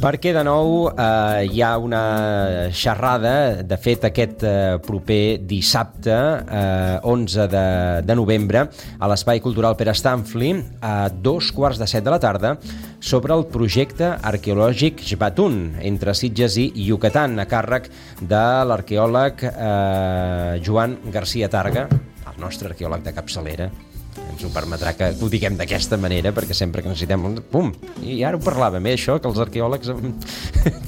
Perquè de nou hi ha una xerrada, de fet aquest proper dissabte 11 de novembre a l'Espai Cultural Pere Stanfli a 2:15 de la tarda sobre el projecte arqueològic Jbatun entre Sitges i Yucatán a càrrec de l'arqueòleg Joan García Targa, el nostre arqueòleg de capçalera. Ens ho permetrà que ho diguem d'aquesta manera, perquè sempre que necessitem... Pum! I ara ho parlàvem, això, que els arqueòlegs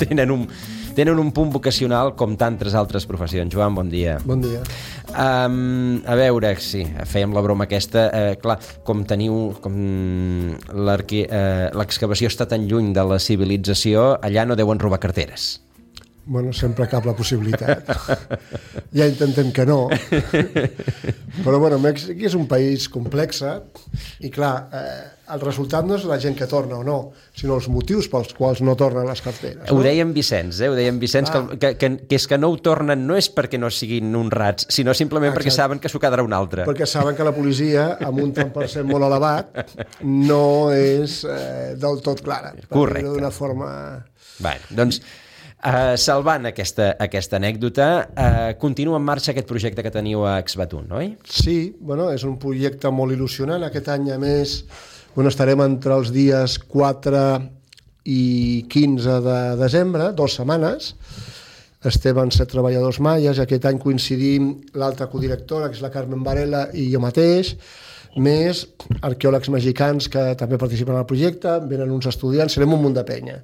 tenen un punt vocacional com tantes altres professions. Joan, bon dia. Bon dia. A veure, sí, fèiem la broma aquesta. Clar, com l'excavació està tan lluny de la civilització, allà no deuen robar carteres. Bueno, sempre cap la possibilitat. Ja intentem que no. Però, bueno, Mèxic és un país complex i, clar, el resultat no és la gent que torna o no, sinó els motius pels quals no tornen les carteres. No? Ho deien Vicenç, que és que no ho tornen no és perquè no siguin honrats, sinó simplement perquè saben que s'ho quedarà un altre. Perquè saben que la policia, amb un tant per cent molt elevat, no és del tot clara. Correcte. D'una forma... Bé, doncs... salvant aquesta anècdota, continua en marxa aquest projecte que teniu a Jbatun, oi? Sí, bueno, és un projecte molt il·lusionant. Aquest any, a més, estarem entre els dies 4 i 15 de desembre, 2 setmanes. Estem en 7 treballadors maies. Aquest any coincidim l'altra codirectora, que és la Carmen Varela, i jo mateix, més arqueòlegs mexicans que també participen al projecte, venen uns estudiants, serem un munt de penya.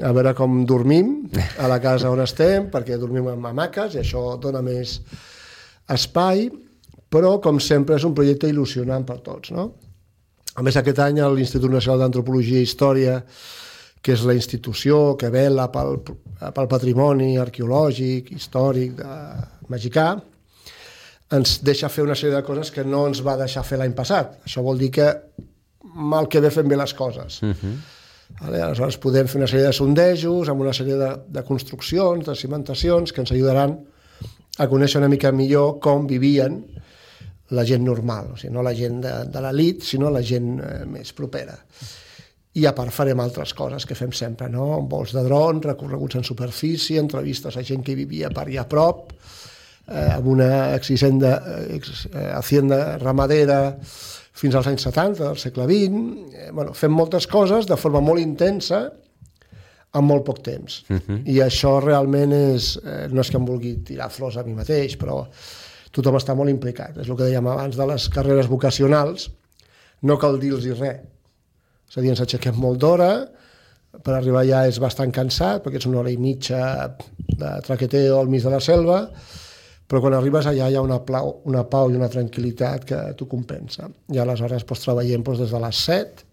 A veure com dormim a la casa on estem, perquè dormim en hamaques i això dona més espai, però com sempre és un projecte il·lusionant per tots, no? A més, aquest any l'Institut Nacional d'Antropologia i Història, que és la institució que vela pel patrimoni arqueològic, històric mexicà, ens deixa fer una sèrie de coses que no ens va deixar fer l'any passat. Això vol dir que mal que bé fem bé les coses. Aleshores podem fer una sèrie de sondejos amb una sèrie de construccions, de cimentacions que ens ajudaran a conèixer una mica millor com vivien la gent normal, o sigui, no la gent de l'elit, sinó la gent més propera. I a part farem altres coses que fem sempre, no? Vols de dron, recorreguts en superfície, entrevistes a gent que vivia per allà a prop, amb una hacienda ramadera fins als anys 70 del segle XX. Bueno, fem moltes coses de forma molt intensa en molt poc temps. I això realment no és que em vulgui tirar flors a mi mateix, però tothom està molt implicat. És el que dèiem abans de les carreres vocacionals, no cal dir-los res. És a dir, ens aixequem molt d'hora, per arribar allà és bastant cansat, perquè és 1 hora i mitja de traqueteo al mig de la selva, però quan arribes allà hi ha una pau i una tranquil·litat que t'ho compensa. I aleshores treballem des de les 7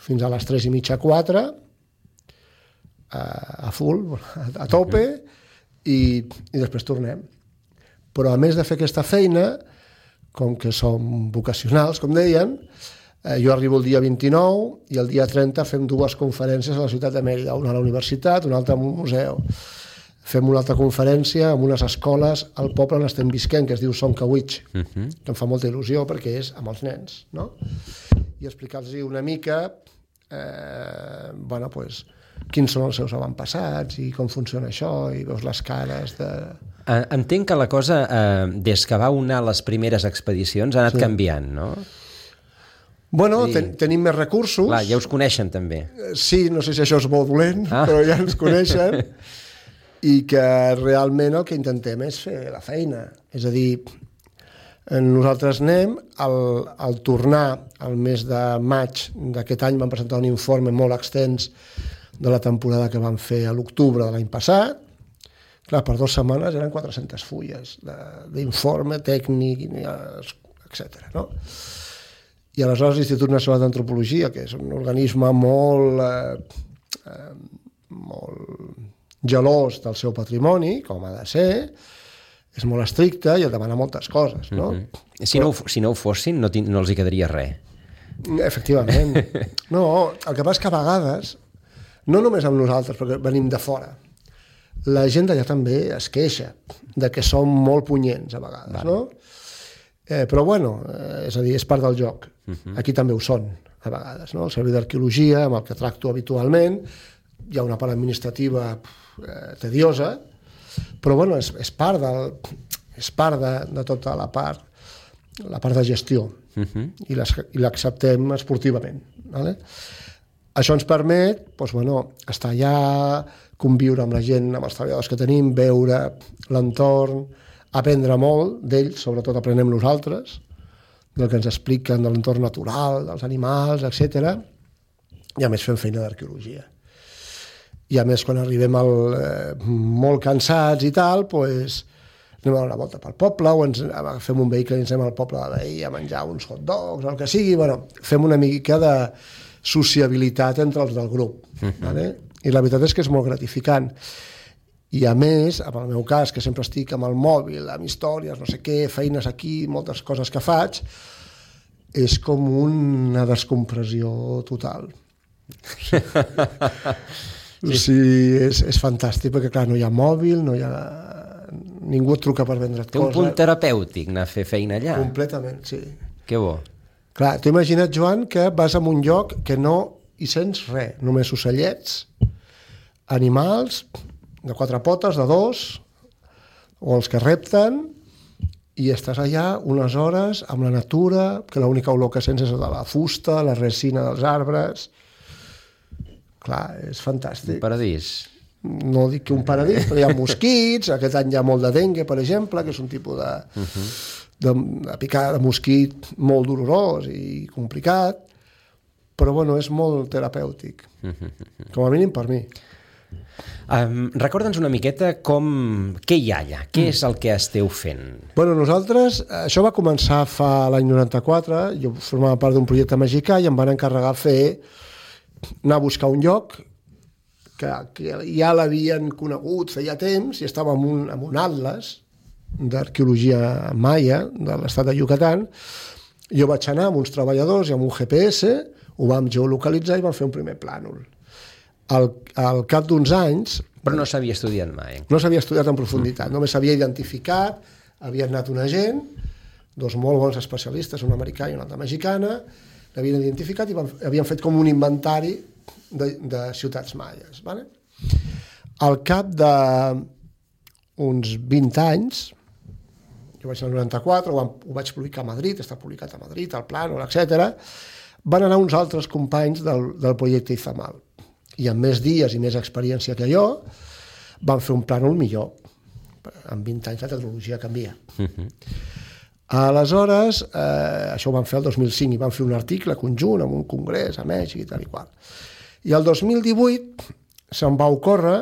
fins a les 3 i mitja, 4, a full, a tope, i després tornem. Però a més de fer aquesta feina, com que som vocacionals, com deien, jo arribo el dia 29 i el dia 30 fem 2 conferències a la ciutat de Mèrida, una a la universitat, una altra a un museu. Fem una altra conferència amb unes escoles al poble on estem visquent, que es diu Soncawitch, que em fa molta il·lusió perquè és amb els nens, no? I explicar-los una mica quins són els seus avantpassats i com funciona això, i veus les cares de... Entenc que la cosa, des que va unar les primeres expedicions, ha anat canviant, no? Bueno, tenim més recursos. Clar, ja us coneixen també. Sí, no sé si això és bo o dolent, però ja ens coneixen. I que realment el que intentem és fer la feina. És a dir, nosaltres anem, al tornar al mes de maig d'aquest any vam presentar un informe molt extens de la temporada que vam fer a l'octubre de l'any passat. Clar, per 2 setmanes eren 400 fulles d'informe tècnic, etc. No? I aleshores l'Institut Nacional d'Antropologia, que és un organisme molt gelós del seu patrimoni, com ha de ser, és molt estricte i et demana moltes coses, no? Si no ho fossin, no els hi quedaria res. Efectivament. No, el que passa és que a vegades, no només amb nosaltres, perquè venim de fora, la gent d'allà també es queixa de que som molt punyents a vegades, no? Però bueno, és a dir, és part del joc. Aquí també ho són, a vegades, no? El servei d'arqueologia, amb el que tracto habitualment, hi ha una part administrativa tediosa, però bueno, és part de tota la part de gestió, i l'acceptem esportivament. Vale? Això ens permet estar allà, conviure amb la gent, amb els treballadors que tenim, veure l'entorn, aprendre molt d'ells, sobretot aprenem nosaltres, del que ens expliquen de l'entorn natural, dels animals, etc. I a més fem feina d'arqueologia. I a més, quan arribem molt cansats i tal, anem a donar una volta pel poble, o fem un vehicle i ens anem al poble de veí a menjar uns hot dogs, el que sigui. Fem una mica de sociabilitat entre els del grup. Vale? I la veritat és que és molt gratificant. I a més, en el meu cas, que sempre estic amb el mòbil, amb històries, no sé què, feines aquí, moltes coses que faig, és com una descompressió total. És fantàstic, perquè clar, no hi ha mòbil, ningú et truca per vendre't coses. Té un punt terapèutic anar a fer feina allà. Completament, sí. Que bo. Clar, t'ho imagina't, Joan, que vas a un lloc que no hi sents res, només ocellets, animals, de 4 potes, de 2, o els que repten, i estàs allà unes hores amb la natura, que l'única olor que sents és de la fusta, la resina dels arbres. Clar, és fantàstic. Un paradís. No dic que un paradís, però hi ha mosquits, aquest any hi ha molt de dengue, per exemple, que és un tipus de picada de mosquit molt dolorós i complicat, però bueno, és molt terapèutic, com a mínim per mi. Recorda'ns una miqueta què hi ha allà, què és el que esteu fent? Bueno, nosaltres, això va començar fa l'any 94, jo formava part d'un projecte mexicà i em van encarregar anar a buscar un lloc que ja l'havien conegut feia temps i estava en un atles d'arqueologia maia de l'estat de Yucatán. Jo vaig anar amb uns treballadors i amb un GPS, ho vam geolocalitzar i vam fer un primer plànol. Al cap d'uns anys... Però no s'havia estudiat mai. No s'havia estudiat en profunditat, només s'havia identificat, havia anat una gent, 2 molt bons especialistes, un americà i una altra mexicana, l'havien identificat i havien fet com un inventari de ciutats maies. Vale? Al cap d'uns 20 anys, jo vaig anar al 94, ho vaig publicar a Madrid, està publicat a Madrid, al Plànol, etc. Van anar uns altres companys del projecte Izamal. I amb més dies i més experiència que jo, van fer un plànol millor. En 20 anys la tecnologia canvia. Aleshores, això ho van fer el 2005 i van fer un article conjunt amb un congrés a Mèxic i tal i qual. I el 2018 se'm va ocórrer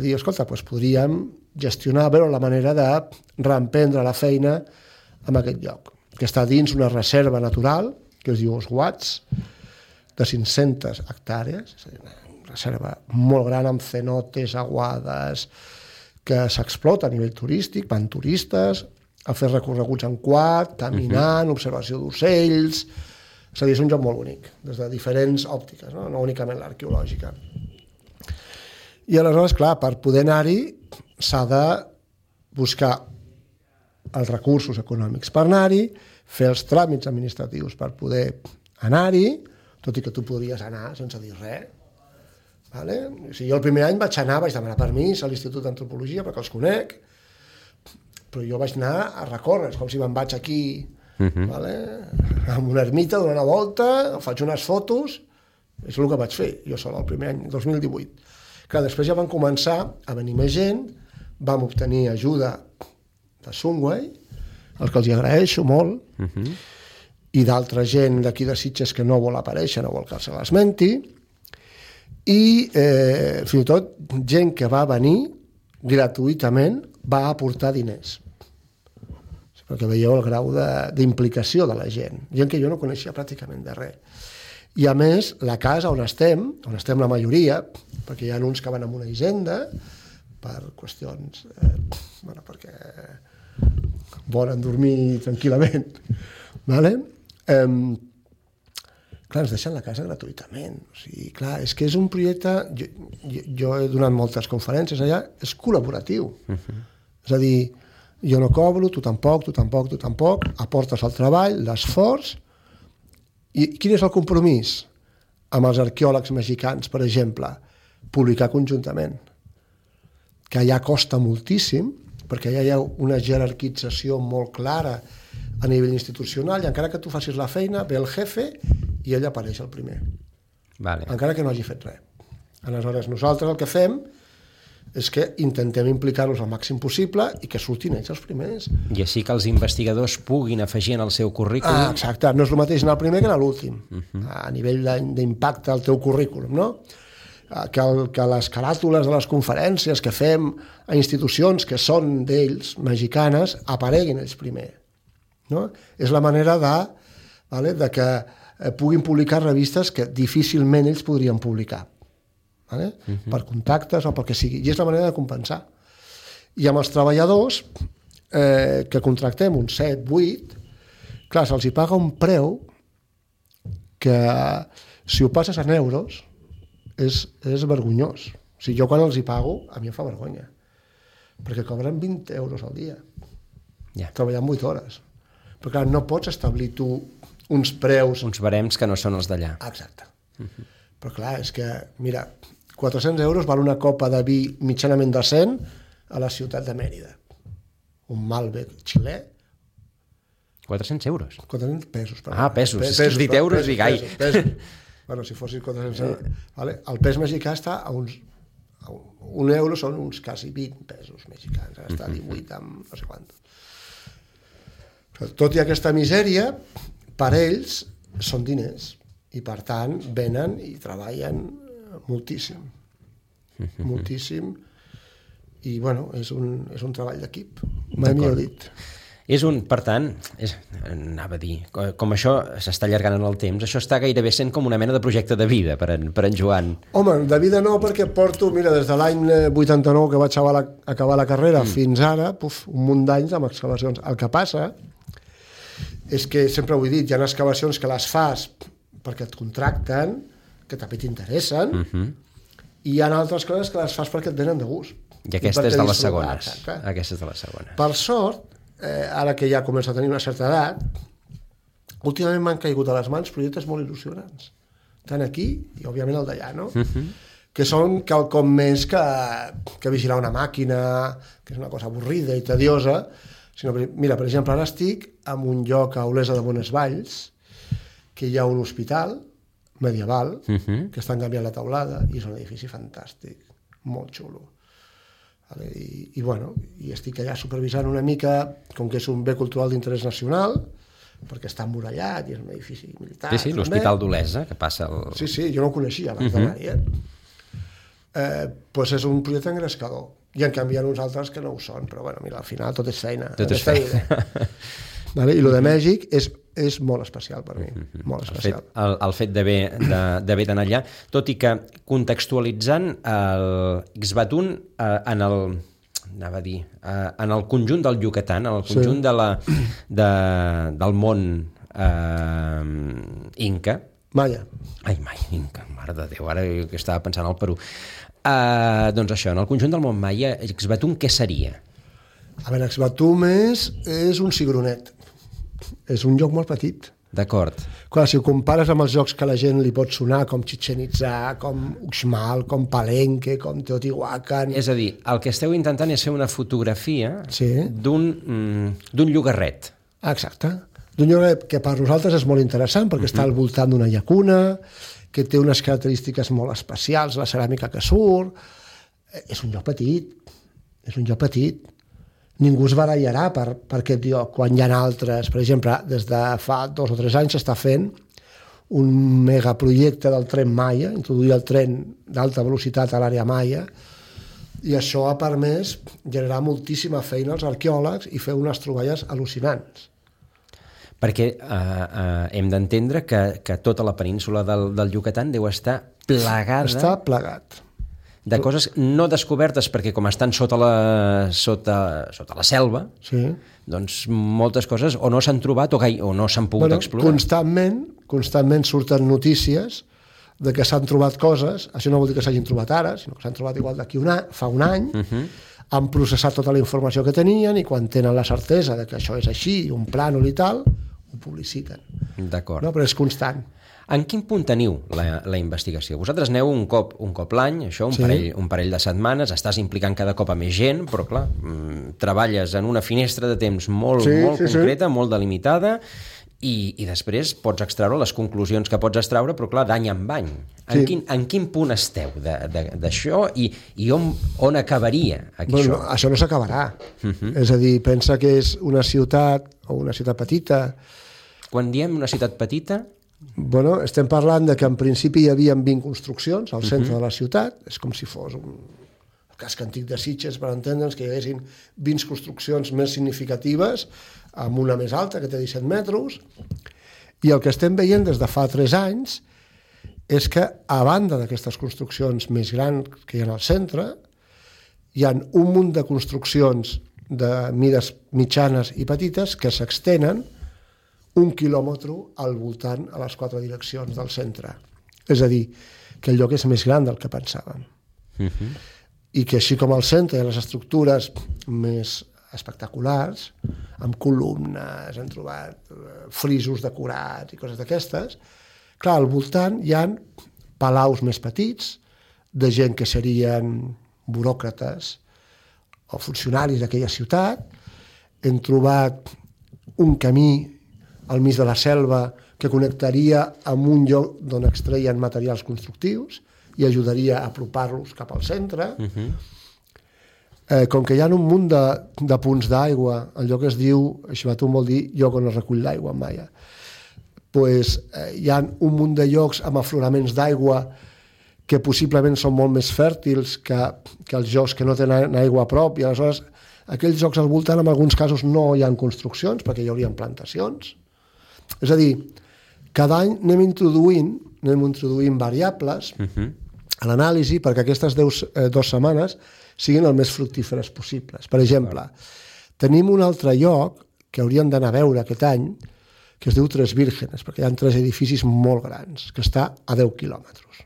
dir, escolta, podríem gestionar, veure la manera de reemprendre la feina en aquest lloc, que està dins una reserva natural, que es diu Oswats, de 500 hectàrees, és a dir, una reserva molt gran amb cenotes, aguades, que s'explota a nivell turístic, van turistes a fer recorreguts en quad, caminant, observació d'ocells. És a dir, és un lloc molt bonic, des de diferents òptiques, no únicament l'arqueològica. I aleshores, clar, per poder anar-hi s'ha de buscar els recursos econòmics per anar-hi, fer els tràmits administratius per poder anar-hi, tot i que tu podries anar sense dir res. Vale? O sigui, jo el primer any vaig demanar permís a l'Institut d'Antropologia perquè els conec, però jo vaig anar a recórrer, com si me'n vaig aquí vale? Amb una ermita, donar una volta, faig unes fotos, és el que vaig fer jo sol el primer any, 2018. Clar, després ja van començar a venir més gent, vam obtenir ajuda de Sunway, els que els hi agraeixo molt, i d'altra gent d'aquí de Sitges que no vol aparèixer, no vol que se l'esmenti, i fins i tot gent que va venir gratuïtament va aportar diners, perquè veieu el grau d'implicació de la gent que jo no coneixia pràcticament de res. I a més, la casa on estem la majoria, perquè hi ha uns que van a una hisenda per qüestions perquè volen dormir tranquil·lament, vale? Clar, ens deixen la casa gratuïtament. O sigui, clar, és que és un projecte... Jo he donat moltes conferències allà, és col·laboratiu. És a dir, jo no cobro, tu tampoc, aportes el treball, l'esforç. I quin és el compromís amb els arqueòlegs mexicans, per exemple? publicar conjuntament, que allà costa moltíssim, perquè allà hi ha una jerarquització molt clara a nivell institucional, i encara que tu facis la feina, ve el jefe i ell apareix el primer. Vale. Encara que no hagi fet res. Aleshores, nosaltres el que fem és que intentem implicar-los al màxim possible i que surtin ells els primers. I així que els investigadors puguin afegir en el seu currículum... Exacte, no és el mateix anar al primer que anar a l'últim, a nivell d'impacte al teu currículum, no? Que les caràtules de les conferències que fem a institucions que són d'ells, mexicanes, apareguin ells primer. No? És la manera de que puguin publicar revistes que difícilment ells podrien publicar. Per contactes o pel que sigui. I és la manera de compensar. I amb els treballadors que contractem, uns 7, 8, clar, se'ls hi paga un preu que, si ho passes en euros, és vergonyós. O sigui, jo quan els hi pago, a mi em fa vergonya. Perquè cobren 20 euros al dia. Treballant 8 hores. Però clar, no pots establir tu uns preus... Uns barems que no són els d'allà. Exacte. Però clar, és que, mira, 400 euros val una copa de vi mitjanament decent a la ciutat de Mèrida. Un Malbec xilè. 400 euros? 400 pesos. Pesos. Has dit euros i gai. Pesos. Bueno, si fossis 400 euros. Vale? El pes mexicà està a uns... Un euro són uns quasi 20 pesos mexicans. Està a 18 amb no sé quant. Tot i aquesta misèria, per ells són diners. I per tant venen i treballen moltíssim. Moltíssim. I bueno, és un treball d'equip. Mai millor dit. Per tant, anava a dir, com això s'està allargant en el temps, això està gairebé sent com una mena de projecte de vida per en Joan. Home, de vida no, perquè porto, mira, des de l'any 89 que vaig acabar la carrera fins ara, un munt d'anys amb excavacions. El que passa és que, sempre ho he dit, hi ha excavacions que les fas perquè et contracten, que també t'interessen, i hi ha altres coses que les fas perquè et venen de gust. I aquesta és de les segones. Aquesta és de les segones. Per sort, ara que ja començo a tenir una certa edat, últimament m'han caigut a les mans projectes molt il·lusionants. Tant aquí i, òbviament, el d'allà, no? Que són quelcom més que vigilar una màquina, que és una cosa avorrida i tediosa, sinó, mira, per exemple, ara estic en un lloc a Olesa de Bonesvalls, que hi ha un hospital medieval, que estan canviant la teulada, i és un edifici fantàstic, molt xulo. I bueno, i estic allà supervisant una mica, com que és un bé cultural d'interès nacional, perquè està emmurallat i és un edifici militar. Sí, l'Hospital d'Olesa, que passa el... Sí, jo no ho coneixia abans d'anar-hi. Doncs és un projecte engrescador. I en canvi hi ha uns altres que no ho són, però bueno, mira, al final tot és feina. Tot és feina. I el de Mèxic és molt especial per mi, molt especial. El fet d'haver d'anar allà, tot i que contextualitzant l'Ixbatún en el conjunt del Yucatán, en el conjunt del món inca... Maia. Ai, inca, mare de Déu, ara que estava pensant al Perú. Doncs això, en el conjunt del món maia, Ixbatún què seria? A veure, Ixbatún és un cigronet. És un lloc molt petit. D'acord. Clar, si ho compares amb els llocs que la gent li pot sonar, com Chichén Itzá, com Uxmal, com Palenque, com Teotihuacan... És a dir, el que esteu intentant és fer una fotografia d'un llogarret. Exacte. D'un llogarret que per nosaltres és molt interessant, perquè està al voltant d'una llacuna, que té unes característiques molt especials, la ceràmica que surt... És un lloc petit. És un lloc petit. Ningú es barallarà per aquest lloc, quan hi ha altres. Per exemple, des de fa 2 o 3 anys s'està fent un megaprojecte del tren Maia, introduir el tren d'alta velocitat a l'àrea Maia, i això ha permès generar moltíssima feina als arqueòlegs i fer unes troballes al·lucinants. Perquè hem d'entendre que tota la península del Yucatán deu estar plegada... Està plegat. De coses no descobertes, perquè com estan sota la selva, doncs moltes coses o no s'han trobat o no s'han pogut explorar. Constantment surten notícies de que s'han trobat coses, això no vol dir que s'hagin trobat ara, sinó que s'han trobat igual d'aquí fa un any, han processat tota la informació que tenien i quan tenen la certesa de que això és així, un plànol i tal, ho publiciten. D'acord. No? Però és constant. En quin punt teniu la investigació? Vosaltres aneu un cop l'any, això, un parell de setmanes, estàs implicant cada cop a més gent, però clar, treballes en una finestra de temps molt concreta, molt delimitada, i després pots extraure les conclusions que pots extraure, però clar, d'any en any. En quin punt esteu d'això i on acabaria això? Això no s'acabarà. És a dir, pensa que és una ciutat o una ciutat petita. Quan diem una ciutat petita... Estem parlant de que en principi hi havia 20 construccions al centre de la ciutat, és com si fos un casc antic de Sitges, per entendre'ns, que hi haguessin 20 construccions més significatives, amb una més alta, que té 17 metres, i el que estem veient des de fa 3 anys és que, a banda d'aquestes construccions més grans que hi ha al centre, hi ha un munt de construccions de mides mitjanes i petites que s'extenen 1 quilòmetre al voltant a les 4 direccions del centre. És a dir, que el lloc és més gran del que pensàvem. I que així com al centre hi ha les estructures més espectaculars, amb columnes, han trobat frisos decorats i coses d'aquestes, clar, al voltant hi ha palaus més petits, de gent que serien buròcrates o funcionaris d'aquella ciutat. Hem trobat un camí al mig de la selva que connectaria amb un lloc d'on extreien materials constructius i ajudaria a apropar-los cap al centre. Com que hi ha un munt de punts d'aigua, el lloc es diu, Xivatum vol dir lloc on es recull l'aigua en maia, hi ha un munt de llocs amb afloraments d'aigua que possiblement són molt més fèrtils que els llocs que no tenen aigua a prop, i aleshores aquells llocs al voltant en alguns casos no hi ha construccions perquè hi haurien plantacions. És a dir, cada any anem introduint variables a l'anàlisi perquè aquestes 2 setmanes siguin el més fructíferes possibles. Per exemple, tenim un altre lloc que hauríem d'anar a veure aquest any, que es diu Tres Vírgenes, perquè hi ha 3 edificis molt grans, que està a 10 quilòmetres.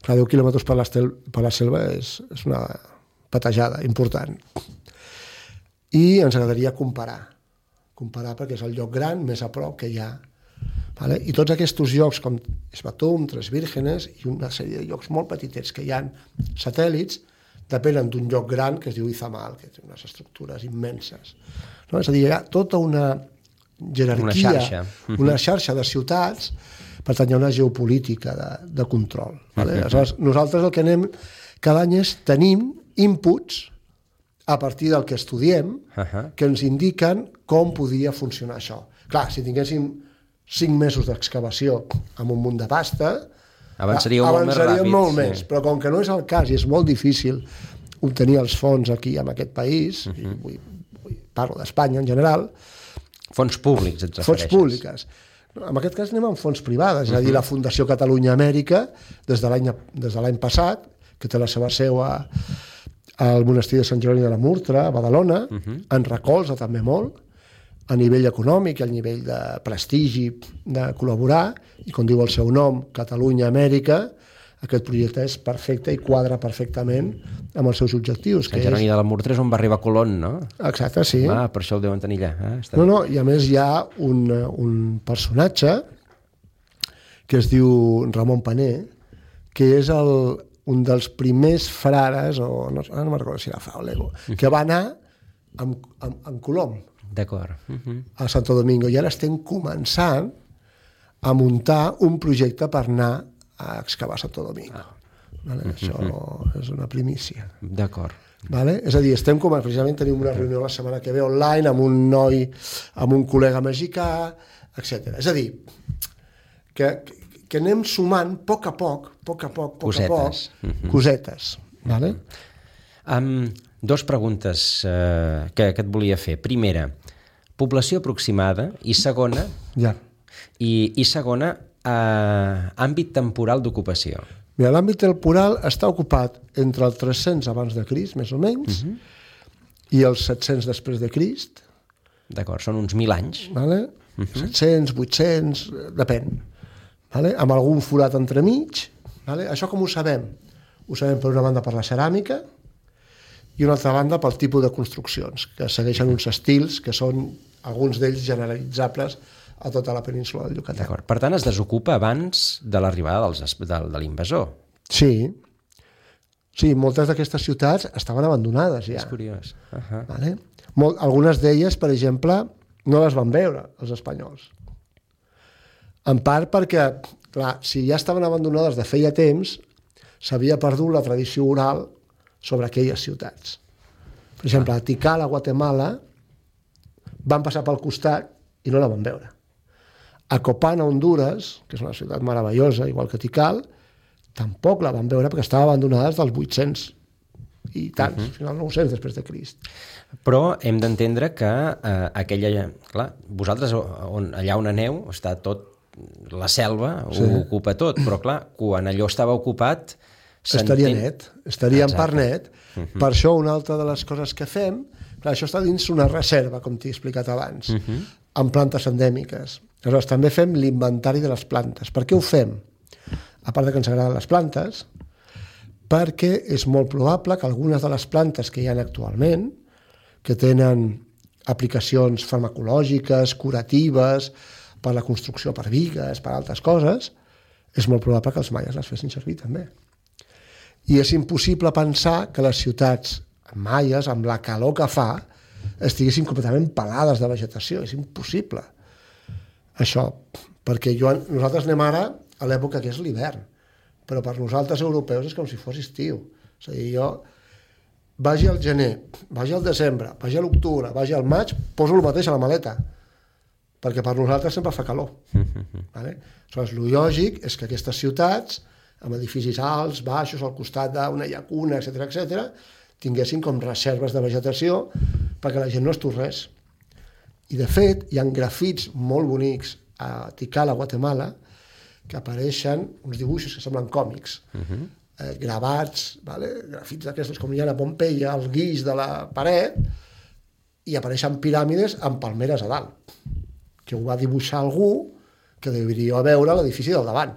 Clar, 10 quilòmetres per la selva és una patejada important. I ens agradaria comparar perquè és el lloc gran més a prop que hi ha. I tots aquests llocs com Xivatum, Tres Vírgenes i una sèrie de llocs molt petitets que hi ha satèl·lits depenen d'un lloc gran que es diu Izamal, que té unes estructures immenses. És a dir, hi ha tota una jerarquia, una xarxa de ciutats, per tant hi ha una geopolítica de control. Aleshores, nosaltres el que anem cada any és tenim inputs a partir del que estudiem, que ens indiquen com podria funcionar això. Clar, si tinguéssim 5 mesos d'excavació amb un munt de pasta, avançaríem molt més. Però com que no és el cas i és molt difícil obtenir els fons aquí en aquest país, parlo d'Espanya en general... Fons públics, et refereixes? Fons públiques. En aquest cas anem amb fons privades, és a dir, la Fundació Catalunya Amèrica, des de l'any passat, que té la seva seu al monestir de Sant Jeroni de la Murtra, a Badalona, en recolza també molt, a nivell econòmic i a nivell de prestigi de col·laborar, i com diu el seu nom, Catalunya Amèrica, aquest projecte és perfecte i quadra perfectament amb els seus objectius. Sant Jeroni de la Murtra és on va arribar Colón, no? Exacte, sí. Per això el deuen tenir allà. I a més hi ha un personatge que es diu Ramon Paner, que és un dels primers frares, o no me'n recordo si era Fra o Lego, que va anar amb Colom a Santo Domingo, i ara estem començant a muntar un projecte per anar a excavar Santo Domingo. Això és una primícia. D'acord. És a dir, precisament tenim una reunió la setmana que ve online amb un noi, amb un col·lega mexicà, etc. És a dir, que anem sumant a poc a poc, cosetes. Dos preguntes que et volia fer. Primera, població aproximada, i segona, àmbit temporal d'ocupació. L'àmbit temporal està ocupat entre el 300 abans de Crist, més o menys, i els 700 després de Crist. D'acord, són uns 1.000 anys. 700, 800, depèn. Amb algun forat entremig. Això com ho sabem? Ho sabem per una banda per la ceràmica i una altra banda pel tipus de construccions, que segueixen uns estils que són alguns d'ells generalitzables a tota la península del Yucatán. D'acord. Per tant, es desocupa abans de l'arribada de l'invasor. Sí, moltes d'aquestes ciutats estaven abandonades ja. És curiós. Vale? Algunes d'elles, per exemple, no les van veure els espanyols. En part perquè, clar, si ja estaven abandonades de feia temps, s'havia perdut la tradició oral sobre aquelles ciutats. Per exemple, a Tikal, a Guatemala, van passar pel costat i no la van veure. A Copán, a Honduras, que és una ciutat meravellosa, igual que Tikal, tampoc la van veure perquè estava abandonada dels 800 i tants, fins al 900 després de Crist. Però hem d'entendre que aquella... Clar, vosaltres, allà on aneu, està tot... La selva ho ocupa tot, però clar, quan allò estava ocupat... Estaria net, estaria en part net. Per això una altra de les coses que fem, clar, això està dins una reserva, com t'he explicat abans, amb plantes endèmiques. Aleshores, també fem l'inventari de les plantes. Per què ho fem? A part que ens agraden les plantes, perquè és molt probable que algunes de les plantes que hi ha actualment, que tenen aplicacions farmacològiques, curatives, per la construcció per bigues, per altres coses, és molt probable que els maies les fessin servir també. I és impossible pensar que les ciutats maies, amb la calor que fa, estiguessin completament pelades de vegetació. És impossible. Això, perquè nosaltres anem ara a l'època que és l'hivern, però per nosaltres europeus és com si fos estiu. És a dir, jo vagi al gener, vagi al desembre, vagi a l'octubre, vagi al maig, poso el mateix a la maleta, perquè per nosaltres sempre fa calor. Vale? Aleshores, el lògic és que aquestes ciutats, amb edificis alts, baixos, al costat d'una llacuna, etc., tinguessin com reserves de vegetació perquè la gent no es tornés. I, de fet, hi ha grafits molt bonics a Tikal, a Guatemala, que apareixen uns dibuixos que semblen còmics, gravats, grafits d'aquestos com hi ha a Pompeia, al guix de la paret, i apareixen piràmides amb palmeres a dalt, que ho va dibuixar algú que devia veure l'edifici del davant.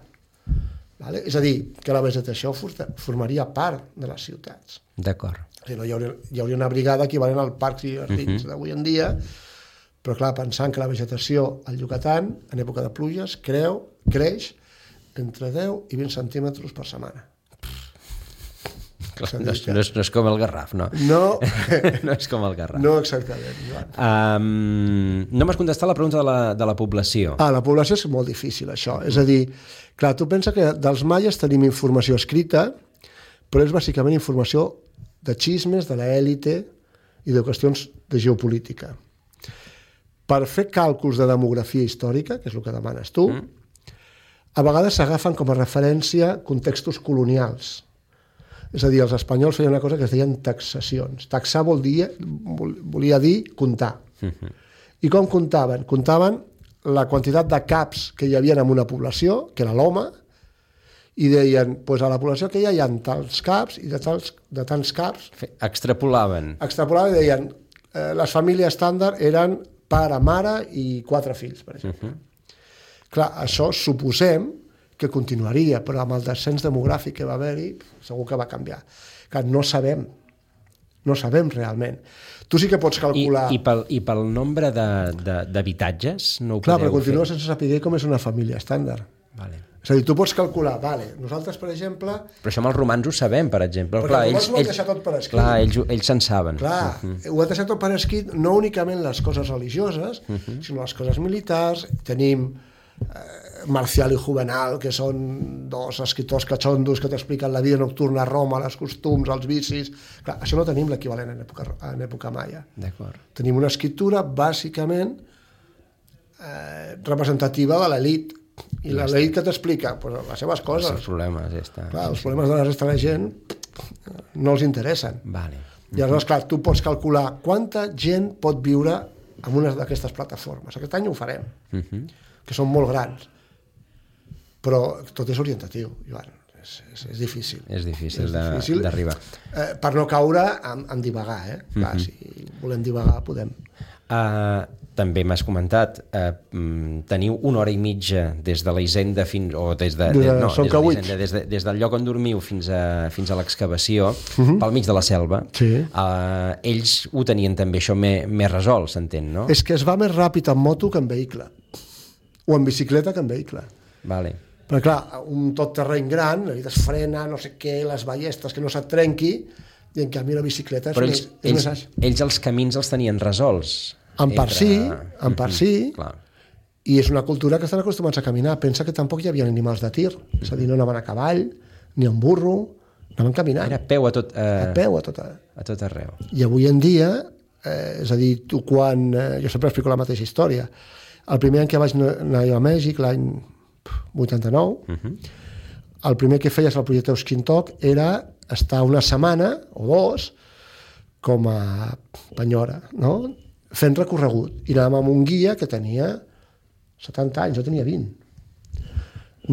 Vale? És a dir, que la vegetació formaria part de les ciutats. D'acord. Hi hauria una brigada equivalent al parcs i jardins d'avui en dia, però clar, pensant que la vegetació al Yucatán, en època de pluges, creix entre 10 i 20 centímetres per setmana. Clar, no és com el Garraf, no? No. No és com el Garraf. No exactament. No m'has contestat la pregunta de la població. La població és molt difícil, això. És a dir, clar, tu pensa que dels maies tenim informació escrita, però és bàsicament informació de xismes, de l'élite i de qüestions de geopolítica. Per fer càlculs de demografia històrica, que és el que demanes tu, a vegades s'agafen com a referència contextos colonials. És a dir, els espanyols feien una cosa que es deien taxacions. Taxar volia dir comptar. I com comptaven? Comptaven la quantitat de caps que hi havia en una població, que era l'home, i deien, doncs a la població que hi ha tants caps, i de tants caps... Extrapolaven. Extrapolaven i deien, les famílies estàndard eren pare, mare i 4 fills, per exemple. Clar, això suposem que continuaria, però amb el descens demogràfic que va haver-hi, segur que va canviar. Que no sabem realment. Tu sí que pots calcular... I pel nombre d'habitatges? No ho clar, podeu però continua fer? sense saber com és una família estàndard. Vale. És a dir, tu pots calcular, nosaltres, per exemple... Però això amb els romans ho sabem, per exemple. Però els romans ho han deixat tot per escrit. Clar, ells se'n saben. Clar, ho han deixat tot per escrit, no únicament les coses religioses, sinó les coses militars. Tenim Marcial i Juvenal, que són 2 escriptors catxondos que t'expliquen la vida nocturna a Roma, els costums, els vicis... Clar, això no tenim l'equivalent en època maia. D'acord. Tenim una escriptura bàsicament representativa de l'elit. I l'elit que t'explica? Pues les seves coses. Els problemes, ja està. Clar, els problemes de la resta de la gent no els interessen. Vale. I aleshores, clar, tu pots calcular quanta gent pot viure en una d'aquestes plataformes. Aquest any ho farem, que són molt grans. Però tot és orientatiu, Joan. És difícil. És difícil d'arribar. Per no caure en divagar, Clar, si volem divagar, podem. També m'has comentat, teniu 1 hora i mitja des de la hisenda fins... des del lloc on dormiu fins a l'excavació, pel mig de la selva. Sí. Ells ho tenien també això més resolt, s'entén, no? És que es va més ràpid en moto que en vehicle. o en bicicleta que en vehicle. Vale. Però clar, un tot terreny gran, es frena, no sé què, les ballestes, que no se't trenqui, i en canvi la bicicleta però és més àgil. Ells els camins els tenien resolts. En part sí, clar. i és una cultura que estan acostumats a caminar. Pensa que tampoc hi havia animals de tir, és a dir, no anaven a cavall, ni en burro, anaven caminant. Era a peu a tot, a peu a tot arreu. I avui en dia, és a dir, tu quan... jo sempre explico la mateixa història. El primer any que vaig anar a Mèxic, l'any 89, el primer que feies al projecte Euskintoc era estar una setmana o dos com a penyora, no? Fent recorregut. I anàvem amb un guia que tenia 70 anys, jo tenia 20.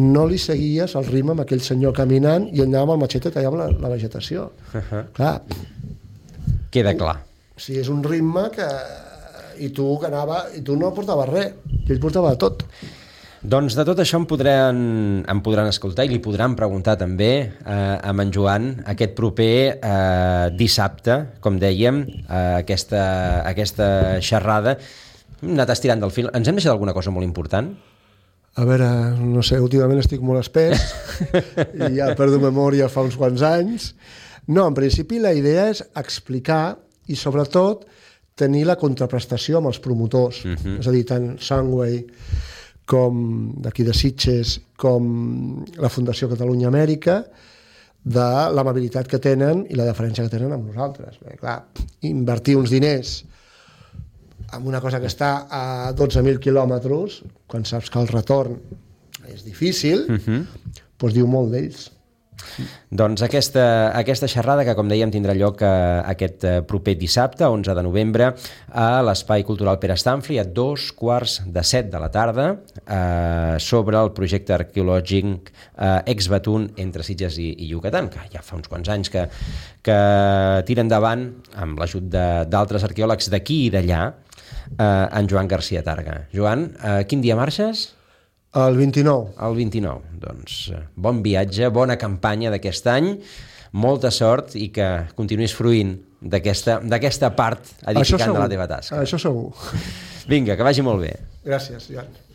No li seguies el ritme amb aquell senyor caminant i anàvem al matxet i tallàvem la vegetació. Clar. Queda clar. Sí, és un ritme que... I tu no portaves res, i ell portava tot. Doncs de tot això em podran escoltar i li podran preguntar també a en Joan aquest proper dissabte, com dèiem, aquesta xerrada. Hem anat estirant del fil. Ens hem deixat alguna cosa molt important? A veure, no sé, últimament estic molt espès i ja perdo memòria fa uns quants anys. No, en principi la idea és explicar i sobretot tenir la contraprestació amb els promotors. És a dir, tant Sunway com d'aquí de Sitges, com la Fundació Catalunya Amèrica, de l'amabilitat que tenen i la deferència que tenen amb nosaltres. Perquè, clar, invertir uns diners en una cosa que està a 12.000 quilòmetres, quan saps que el retorn és difícil, doncs diu molt d'ells. Doncs aquesta xerrada que, com dèiem, tindrà lloc aquest proper dissabte, 11 de novembre, a l'Espai Cultural Pere Stanfli, a 14:45 de la tarda, sobre el projecte arqueològic Ex-Batún entre Sitges i Yucatán, que ja fa uns quants anys que tira endavant, amb l'ajut d'altres arqueòlegs d'aquí i d'allà, en Joan García Targa. Joan, quin dia marxes? El 29. El 29. Doncs bon viatge, bona campanya d'aquest any, molta sort i que continuïs fruint d'aquesta part edificant de la teva tasca. Això segur. Vinga, que vagi molt bé. Gràcies, Joan.